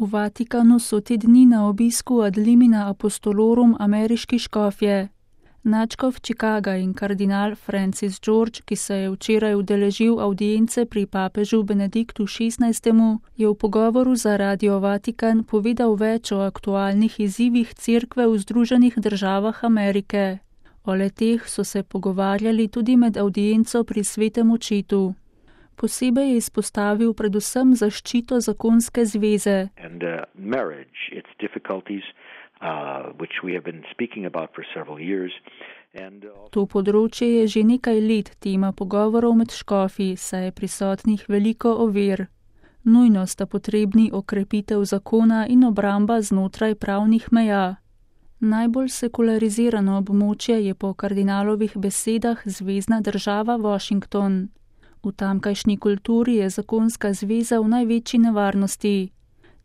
V Vatikanu so te dni na obisku ad limina apostolorum ameriški škofje. Nadškof Chicaga in kardinal Francis George, ki se je včeraj udeležil avdience pri papežu Benediktu XVI., je v pogovoru za Radio Vatikan povedal več o aktualnih izzivih Cerkve v Združenih državah Amerike. O le-teh so se pogovarjali tudi med avdienco pri Svetem očetu. Posebej je izpostavil predvsem zaščito zakonske zveze. To področje je že nekaj let tema pogovorov med škofi, saj je prisotnih veliko ovir. Nujno sta potrebni okrepitev zakona in obramba znotraj pravnih meja. Najbolj sekularizirano območje je po kardinalovih besedah zvezna država Washington. V tamkajšnji kulturi je zakonska zveza v največji nevarnosti.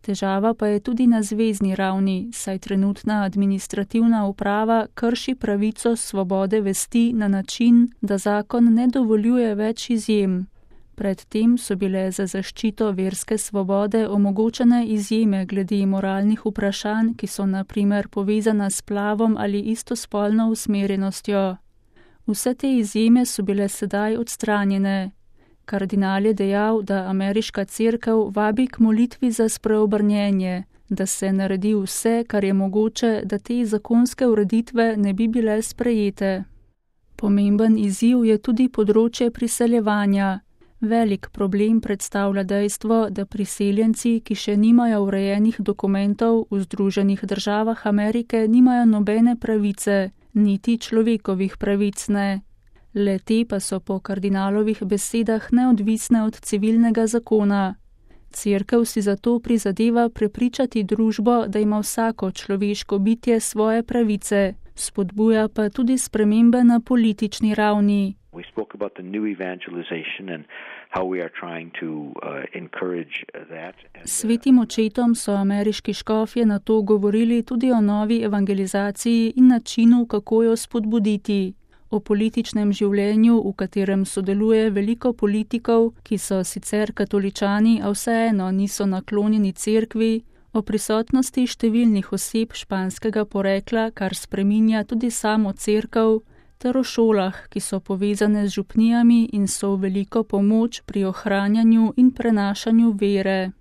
Težava pa je tudi na zvezni ravni, saj trenutna administrativna uprava krši pravico svobode vesti na način, da zakon ne dovoljuje več izjem. Predtem so bile za zaščito verske svobode omogočene izjeme glede moralnih vprašanj, ki so na primer povezana s splavom ali istospolno usmerjenostjo. Vse te izjeme so bile sedaj odstranjene. Kardinal je dejal, da ameriška cerkev vabi k molitvi za spreobrnjenje, da se naredi vse, kar je mogoče, da te zakonske ureditve ne bi bile sprejete. Pomemben izziv je tudi področje priseljevanja. Velik problem predstavlja dejstvo, da priseljenci, ki še nimajo urejenih dokumentov, v Združenih državah Amerike nimajo nobene pravice, niti človekovih pravic ne. Le-te pa so po kardinalovih besedah neodvisne od civilnega zakona. Cerkev si zato prizadeva prepričati družbo, da ima vsako človeško bitje svoje pravice, spodbuja pa tudi spremembe na politični ravni. Svetim očetom so ameriški škofje na to govorili tudi o novi evangelizaciji in načinu, kako jo spodbuditi. O političnem življenju, v katerem sodeluje veliko politikov, ki so sicer katoličani, a vseeno niso naklonjeni cerkvi, o prisotnosti številnih oseb španskega porekla, kar spreminja tudi samo cerkev, ter o šolah, ki so povezane z župnijami in so v veliko pomoč pri ohranjanju in prenašanju vere.